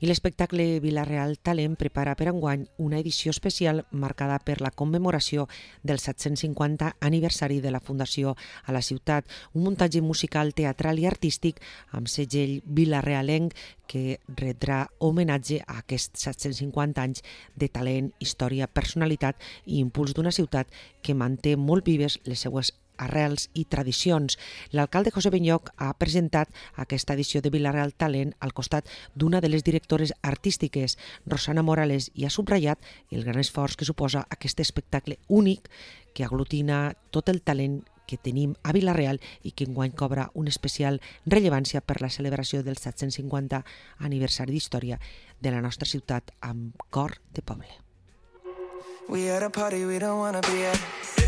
I l'espectacle Vila-real Talent prepara per enguany una edició especial marcada per la commemoració del 750 aniversari de la Fundació a la ciutat, un muntatge musical, teatral i artístic amb segell vilarealenc que retrà homenatge a aquests 750 anys de talent, història, personalitat i impuls d'una ciutat que manté molt vives les seues arrels i tradicions. L'alcalde José Benyoch ha presentat aquesta edició de Vila-real Talent al costat d'una de les directores artístiques, Rosana Morales, i ha subratllat el gran esforç que suposa aquest espectacle únic que aglutina tot el talent que tenim a Vila-real i que enguany cobra una especial rellevància per la celebració del 750 aniversari d'història de la nostra ciutat amb cor de poble. We at a party we don't wanna be at.